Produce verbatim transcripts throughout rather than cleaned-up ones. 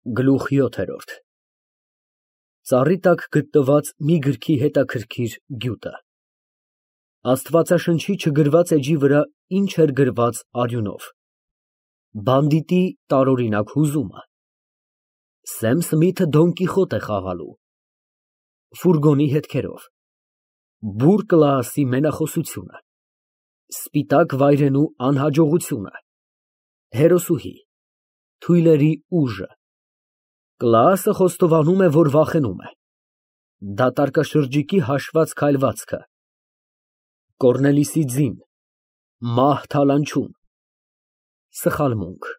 Գլուխ յոթ Ծառի տակ գտնված մի գրքի հետաքրքիր գյուտը Աստվածաշնչի չգրված էջի վրա ինչ էր գրված արյունով Բանդիտի տարօրինակ հուզումը Սեմ Սմիթը Դոն Կիխոտ է խաղալու Ֆուրգոնի հետքերով Բուռ Կլաասի մենախոսությունը Սպիտակ վայրենու անհաջողությունը Հերոսուհի Թույլերի ուժը Կլաասը խոստովանում է, որ վախենում է Դատարկաշրջիկի հաշված քայլվածքը Կոռնելիսի ձին Մահ թալանչում Սխալմունք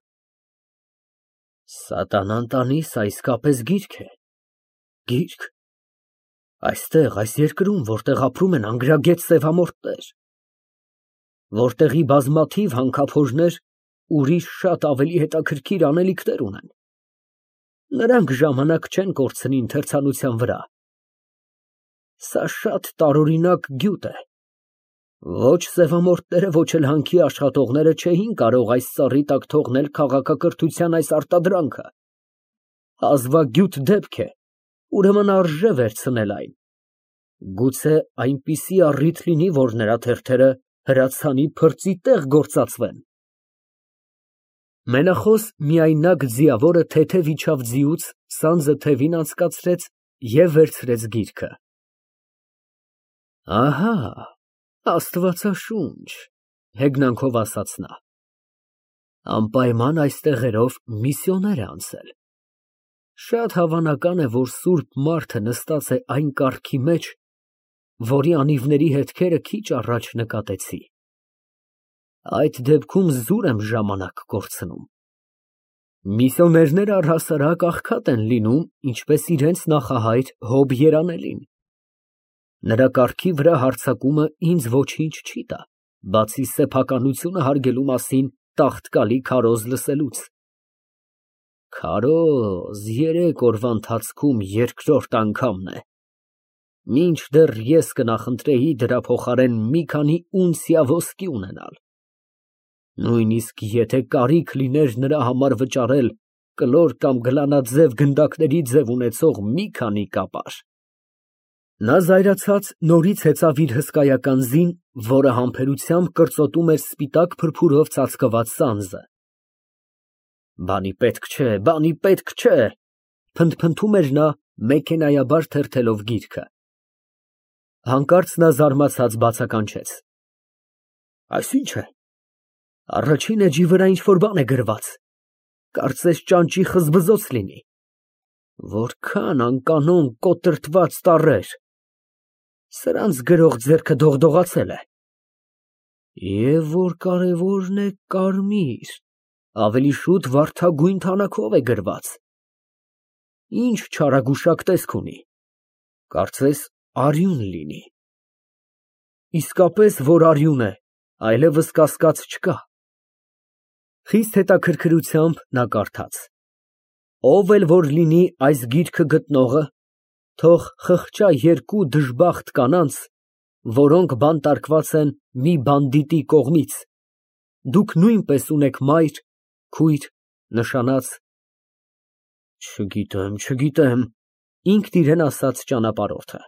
Սատանան տանիս, ա իսկապես գիրք է, գիրք, այստեղ, այս երկրում, որտեղ ապրում են անգրագետ սևամորթներ, որտեղի բազմաթիվ հանքափորներ ուրիշ շատ ավելի հետաքրքիր անելիքներ ունեն, նրանք ժամանակ չեն կորցնի ընթերցանության վրա, սա շատ տարօրինակ գյուտ է, ոչ սևամորթները, ոչ էլ հանքի աշխատողները չէին կարող այս ծառի տակ թողնել քաղաքակրթության այս արտադրանքը, հազվագյուտ դեպք է, ուրեմն արժե վերցնել այն, գուցե այնպիսի առիթ լինի, որ նրա թերթերը հրացանի փրծի տեղ գործածվեն։ Մենախոս միայնակ ձիավորը թեթև իջավ ձիուց, սանձը թևին անցկացրեց և վերցրեց գիրքը։ Ահա, Աստվածաշունչ, հեգնանքով ասաց նա, անպայման այս տեղերով միսիոներ է անցել, շատ հավանական է, որ սուրբ մարդը նստած է այն կառքի մեջ, որի անիվների հետքերը քիչ առաջ նկատեցի, այդ դեպքում զուր եմ ժամանակ կորցնում, միսիոներները առհասարակ աղքատ են լինում, ինչպես իրենց նախահայր Հոբ երանելին, նրա կառքի վրա հարձակումը ինձ ոչինչ չի տա, բացի սեփականությունը հարգելու մասին տաղտկալի քարոզ լսելուց։ Քարոզ երեք օրվա ընթացքում երկրորդ անգամն է, մինչդեռ ես կնախընտրեի դրա փոխարեն մի քանի ունցիա ոսկի ունենալ, նույնիսկ եթե կարիք լիներ նրա համար վճարել կլոր կամ գլանաձև գնդակների ձև ունեցող մի քանի կապար։ Նա զայրացած նորից հեծավ իր հսկայական ձին, որը համբերությամբ կրծոտում էր սպիտակ փրփուրով ծածկված սանձը։ Բանի պետք չէ, բանի պետք չէ, փնթփնթում էր նա մեքենայաբար թերթելով գիրքը։ Հանկարծ նա զարմացած բացականչեց. Այս ի՞նչ է, առաջին էջի վրա ինչ֊որ բան է գրված, կարծես ճանճի խզբզոց լինի, որքան անկանոն կոտրտված տառեր, սրանց գրող ձեռքը դողդողացել է, և որ կարևորն է կարմիր, ավելի շուտ վարդագույն թանաքով է գրված, ինչ չարագուշակ տեսք ունի, կարծես արյուն լինի, իսկապես որ արյուն է, այլևս կասկած չկա։ Խիստ հետաքրքրությամբ նա կարդաց. Ով էլ որ լինի այս գիրքը գտնողը, թող խղճա երկու դժբախտ կանանց, որոնք բանտարկված են մի բանդիտի կողմից, դուք նույնպես ունեք մայր, քույր, նշանած։ Չգիտեմ, չգիտեմ, ինքն իրեն ասաց ճանապարհորդը։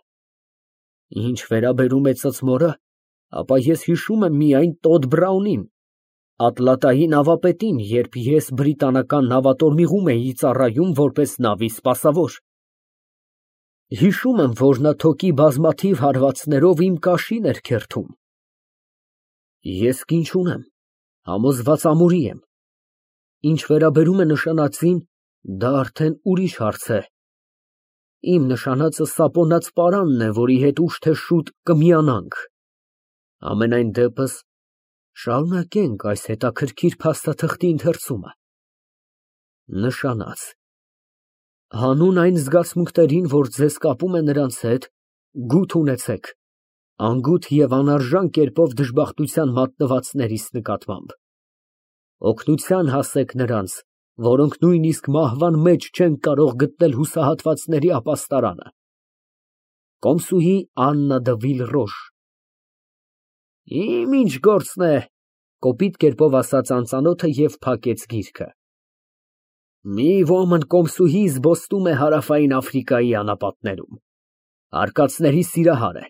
Ինչ վերաբերում է ծծմորը, ապա ես հիշում եմ միայն Տոդ Բրաունին, Ատլատայի նավապետին, երբ ես բրիտանական նավատորմիղում էի ծառայում որպես նավի սպասավոր։ Հիշում եմ, որ նա թոկի բազմաթիվ հարվածներով իմ կաշին էր քերթում։ Ես կին չունեմ, համոզված ամուրի եմ։ Ինչ վերաբերում է նշանածին, դա արդեն ուրիշ հարց է։ Իմ նշանածը սապոնած պարանն է, որի հետ ուշ թե շուտ կմիանանք։ Ամենայն դեպս շարունակենք այս հետաքրքիր փաստաթղթի ընթերցումը։ Նշանած։ Հանուն այն զգացմունքներին, որ ձեզ կապում է նրանց հետ, գութ ունեցեք, անգութ և անարժան կերպով դժբախտության մատնվածներիս նկատմամբ։ Օգնության հասեք նրանց, որոնք նույնիսկ մահվան մեջ չեն կարող գտնել հուսահատվածների ապաստարանը։ Կոմսուհի Աննա դը Վիլռոշ։ Իմ ինչ գործն է, կոպիտ կերպով ասաց անծանոթը և փակեց գիրքը։ Մի ոմն կոմսուհի զբոսնում է Հարավային Աֆրիկայի անապատներում, արկածների սիրահար է։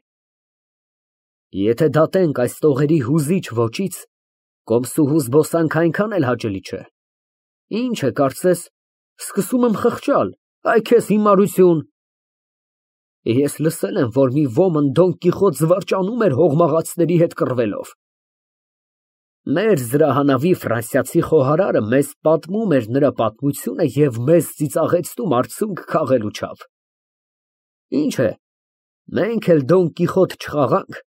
Եթե դատենք այս տողերի հուզիչ ոճից, կոմսուհու զբոսանք այնքան էլ հաճելի չէ։ Ինչ է կարծես, սկսում եմ խղճալ, այ քեզ հիմարություն։ Ես լսել եմ, որ մի ոմն Դոն Կիխոտ զվարճանում էր հողմաղացների հետ կռվելով։ Մեր զրահանավի ֆրանսիացի խոհարարը մեզ պատմում էր նրա պատմությունը և մեզ ծիծաղեցնում արցունք քաղելու չափ։ Ինչ է, մենք էլ Դոն Կիխոտ չխաղանք,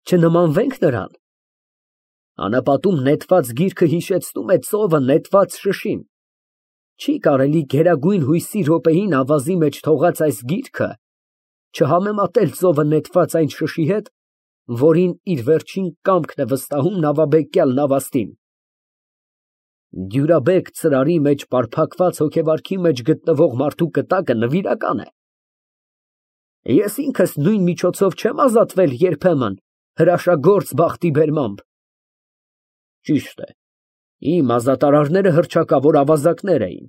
չնմանվենք նրան։ Անապատում նետված գիրքը հիշեցնում է ծովը նետված շշին։ Չի կարելի գերագույն հույսի րոպեին ավազի մեջ թողած այս գիրքը չհամեմատել ծովը նետված այն շշի հետ, որին իր վերջին կամքն է վստահում նավաբեկյալ նավաստին։ Դյուրաբեկ ծրարի մեջ պարփակված հոգեվարքի մեջ գտնվող մարդու կտակը նվիրական է։ Ես ինքս նույն միջոցով չեմ ազատվել երբեմն հրաշագործ բախտի բերմամբ։ Ճիշտ է, իմ ազատարարները հռչակավոր ավազակներ էին,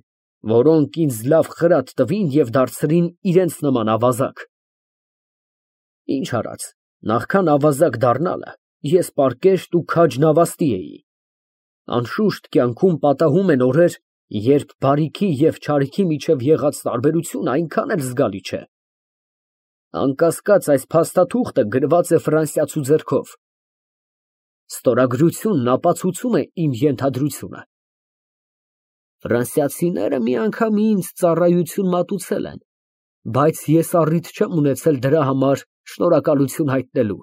որոնք ինձ լավ խրատ տվին և դարձրին իրենց նման ավազակ։ Ինչ արած, նախքան ավազակ դառնալը, ես պարկեշտ ու քաջ նավաստի էի։ Անշուշտ, կյանքում պատահում են օրեր, երբ բարիքի և չարիքի միջև եղած տարբերությունը այնքան էլ զգալի չէ։ Անկասկած, այս փաստաթուղթը գրված է ֆրանսիացու ձեռքով։ Ստորագրությունն ապացուցում է իմ ենթադրությունը։ Ֆրանսիացիները մի անգամ ինձ ծառայություն մատուցել են, բայց ես առիթ չեմ ունեցել դրա համար շնորհակալություն հայտնելու։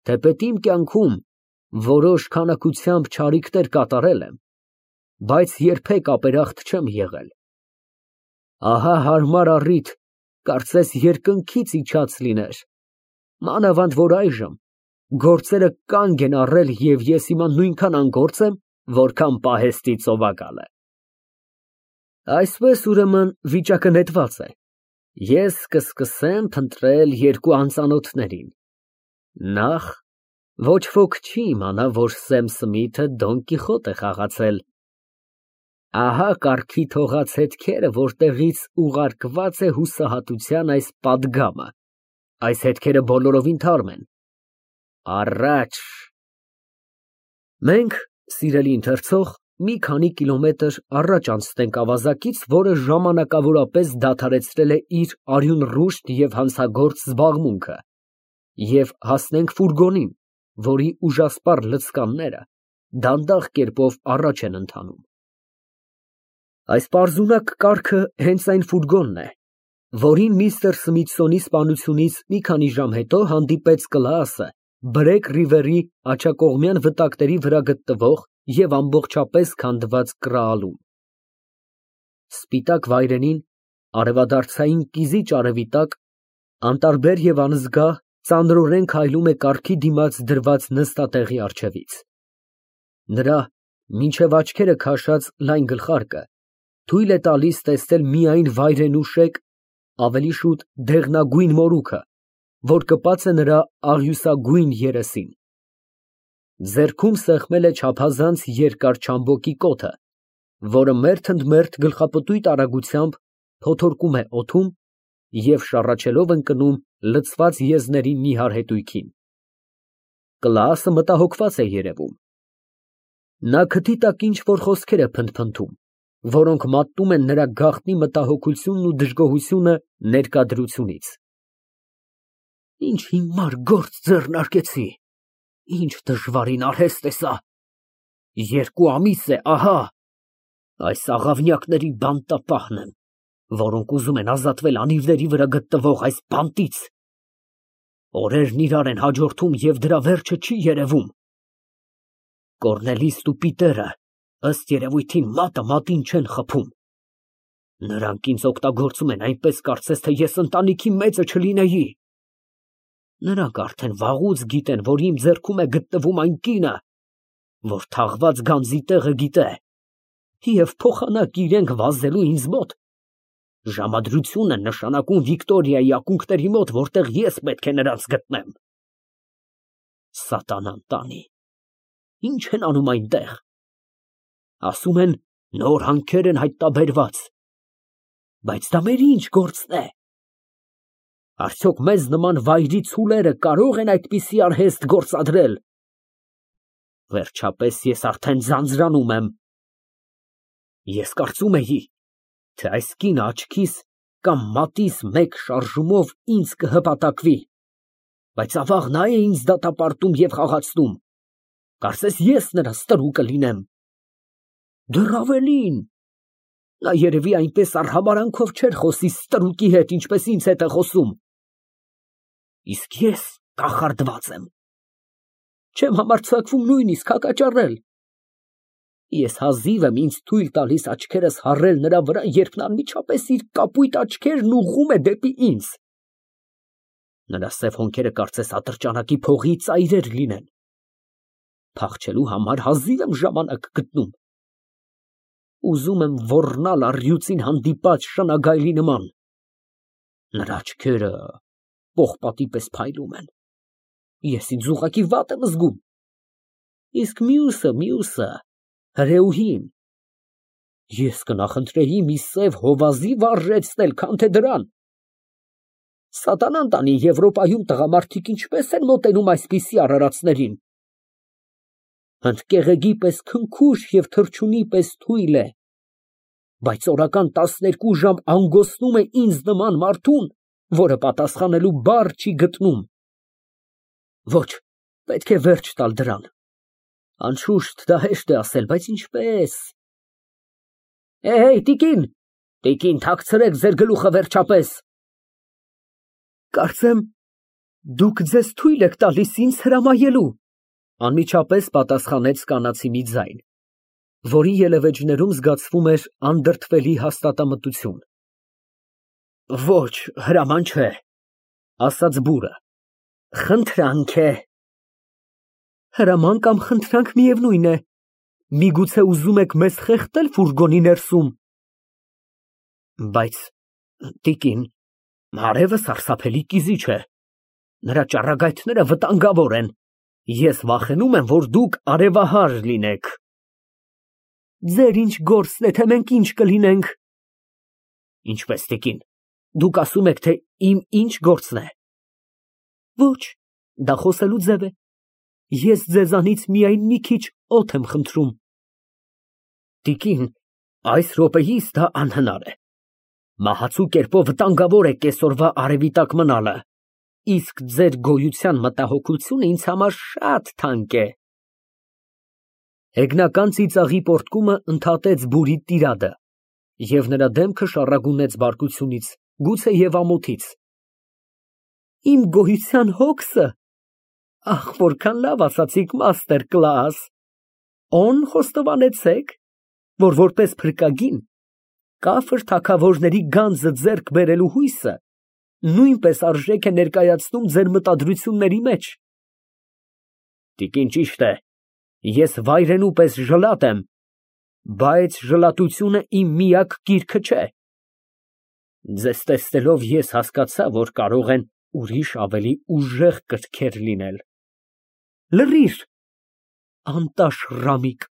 Թեպետ իմ կյանքում որոշ քանակությամբ չարիքներ կատարել եմ, բայց երբեք ապերախտ չեմ եղել։ Ահա հարմար առիթ, կարծես երկնքից իջած լիներ, մանավանդ որ այժմ գործերը կանգ են առել և ես հիմա նույնքան անգործ եմ, որքան պահեստի ծովակալը։ Այսպես, ուրեմն, վիճակը նետված է։ Ես կսկսեմ փնտրել երկու անծանոթներին։ Նախ, ոչ ոք չի իմանա, որ Սեմ Սմիթը Դոն Կիխոտ է խաղացել։ Ահա կառքի թողած հետքերը, որտեղից ուղարկված է հուսահատության այս պատգամը։ Այս հետքերը բոլորովին թարմ են։ Առաջ։ Մենք, սիրելի ընթերցող, մի քանի կիլոմետր առաջ անցնենք ավազակից, որը ժամանակավորապես դադարեցրել է իր արյունռուշտ և հանցագործ զբաղմունքը, և հասնենք ֆուրգոնին, որի ուժասպառ լցկանները դանդաղ կերպով առաջ են ընթանում։ Այս պարզունակ կառքը հենց այն ֆուրգոնն է, որին միստր Սմիթսոնի սպանությունից մի քանի ժամ հետո հանդիպեց Կլաասը Բրեկ Ռիվերի աջակողմյան վտակների վրա գտնվող և ամբողջապես քանդված կռահալում։ Սպիտակ վայրենին, արևադարձային կիզիչ արևի տակ, անտարբեր և անզգա, ծանրորեն քայլում է կառքի դիմաց դրված նստատեղի առջևից։ Նրա մինչև աչքերը քաշած լայն գլխարկը թույլ է տալիս տեսնել միայն վայրենուշեք, ավելի շուտ դեղնագույն մորուքը, որ կպած է նրա աղյուսագույն երեսին։ Ձեռքում սեղմել է չափազանց երկար չամբոկի կոթը, որը մերթ ընդ մերթ գլխապտույտ արագությամբ փոթորկում է օդում և շառաչելով ընկնում լցված եզների նիհար հետույքին։ Կլաասը մտահոգված է երևում։ Նա քթի տակ ինչ֊որ խոսքեր է փնթփնթում, որոնք մատնում են նրա գաղտնի մտահոգությունն ու դժգոհությունը ներկա դրությունից։ Ինչ հիմար գործ ձեռնարկեցի, ինչ դժվարին արհեստ է սա։ Երկու ամիս է, ահա, այս աղավնյակների բանտապահն եմ, որոնք ուզում են ազատվել անիվների վրա գտնվող այս բանտից։ Օրերն իրար են հաջորդում և դրա վերջը չի երևում։ Կոռնելիսն ու Պիտերը, ըստ երևույթին, մատը մատին չեն խփում։ Նրանք ինձ օգտագործում են այնպես, կարծես թե ես ընտանիքի մեծը չլինեի։ Նրանք արդեն վաղուց գիտեն, որ իմ ձեռքում է գտնվում այն կինը, որ թաղված գանձի տեղը գիտե, և փոխանակ իրենք վազելու ինձ մոտ։ Ժամադրություն են նշանակում Վիկտորիայի ակունքների մոտ, որտեղ ես պետք է նրանց գտնեմ։ Սատանան տանի, ինչ են անում այնտեղ։ Ասում են, Նոր հանքեր են հայտնաբերված։ Բայց դա մեր ինչ գործն է։ Արդյոք մեզ նման վայրի ցուլերը կարո՞ղ են այդպիսի արհեստ գործադրել։ Վերջապես ես արդեն ձանձրանում եմ։ Ես կարծում էի, թե այս կինը աչքիս կամ մատիս մեկ շարժումով ինձ կհպատակվի, բայց ավաղ նա է ինձ դատապարտում և խաղացնում, կարծես ես նրա ստրուկը լինեմ։ Դեռ ավելին, նա երևի այնպես արհամարհանքով չէր խոսի ստրուկի հետ, ինչպես ինձ հետ է խոսում։ Իսկ ես կախարդված եմ, չեմ համարձակվում նույնիսկ հակաճառել։ Ես հազիվ եմ ինձ թույլ տալիս աչքերս հառել նրա վրա, երբ նա անմիջապես իր կապույտ աչքերն ուղղում է դեպի ինձ։ Նրա սև հոնքերը կարծես ատրճանակի փողի ծայրեր լինեն։ Փախչելու համար հազիվ եմ ժամանակ գտնում։ Ուզում եմ ոռնալ առյուծին հանդիպած շնագայլի նման։ Նրա աչքերը պողպատի պես փայլում են։ Ես ինձ ուղղակի վատ եմ զգում։ Իսկ մյուսը, մյուսը, հրեուհին, ես կնախընտրեի մի սև հովազի վարժեցնել, քան թե դրան։ Սատանան տանի, Եվրոպայում տղամարդիկ ինչպես են մոտենում այսպիսի արարածներին։ Հնդկեղեգի պես քնքուշ և թռչունի պես թույլ է, բայց օրական տասներկու ժամ անգոսնում է ինձ նման մարդուն, որը պատասխանելու բառ չի գտնում։ Ոչ, պետք է վերջ տալ դրան։ Անշուշտ դա հեշտ է ասել, բայց ինչպես։ Էհեյ, տիկին, տիկին, թաքցրեք ձեր գլուխը վերջապես։ Կարծեմ, դուք ձեզ թույլ եք տալիս ինձ հրամայելու, անմիջապես պատասխանեց կանացի մի ձայն, որի ելևէջներում զգացվում էր անդրդվելի հաստատամտություն։ Ոչ, հրաման չէ, ասաց բուրը, խնդրանք է։ Հրաման կամ խնդրանք միևնույն է, միգուցե ուզում եք մեզ խեղդել ֆուրգոնի ներսում։ Բայց, տիկին, արևը սարսափելի կիզիչ է, նրա ճառագայթները վտանգավոր են, ես վախենում եմ, որ դուք արևահար լինեք։ Ձեր ինչ գործն է, թե մենք ինչ կլինենք։ Ինչպես, տիկին, դուք ասում եք, թե իմ ինչ գործն է։ Ոչ, դա խոսելու ձև է։ Ես ձեզանից միայն մի քիչ օդ եմ խնդրում։ Տիկին, այս րոպեիս դա անհնար է։ Մահացու կերպով վտանգավոր է կեսօրվա արևի տակ մնալը, իսկ ձեր գոյության մտահոգությունը ինձ համար շատ թանկ է։ Հեգնական ծիծաղի պոռթկումը ընդհատեց բուրի տիրադը, և նրա դեմքը շառագունեց բարկությունից, գուցե և ամոթից։ Իմ գոյության հոգսը, ախ, որքան լավ ասացիք, մաստեր Կլաաս, օն խոստովանեցեք, որ որպես փրկագին կաֆր թագավորների գանձը ձեռք բերելու հույսը նույնպես արժեք է ներկայացնում ձեր մտադրությունների մեջ։ Տիկին, ճիշտ է, ես վայրենու պես ժլատ եմ, բայց ժլատությունը իմ միակ կիրքը չէ։ Ձեզ տեսնելով ես հասկացա, որ կարող են ուրիշ ավելի ուժեղ կրքեր լինել։ Լռիր, անտաշ֊ռամիկ։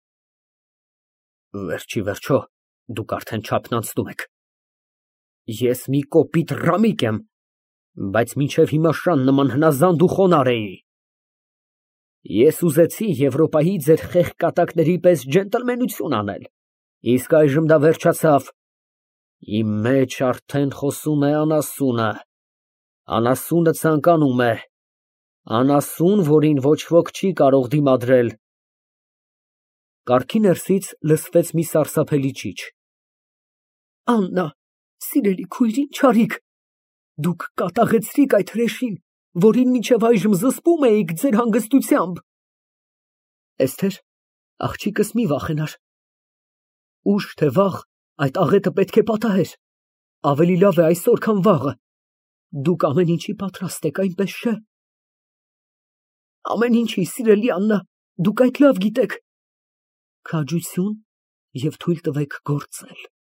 Վերջիվերջո, դուք արդեն չափն անցնում եք։ Ես մի կոպիտ ռամիկ եմ, բայց մինչև հիմա շան նման հնազանդ ու խոնարհ էի։ Ես ուզեցի Եվրոպայի ձեր խեղճ կատակների պես ջենտլմենություն անել, իսկ այժմ դա վերջացավ։ Իմ մեջ արդեն խոսում է անասունը, անասունը ցանկանում է, անասուն, որին ոչ ոք չի կարող դիմադրել։ Կառքի ներսից լսվեց մի սարսափելի ճիչ։ Աննա, սիրելի քույր, ինչ արիք, դուք կատաղեցրիք այդ հրեշին, որին մինչև այժմ զսպում էիք ձեր հանգստությամբ։ Էսթեր, աղջիկս մի վախենար։ Ուշ թե վաղ այդ աղետը պետք է պատահեր, ավելի լավ է այսօր, քան վաղը։ Դուք ամեն ինչի պատրաստ եք, այնպես չէ։ Ամեն ինչի, սիրելի Աննա, դուք այդ լավ գիտեք։ Քաջություն և թույլ տվեք գործել։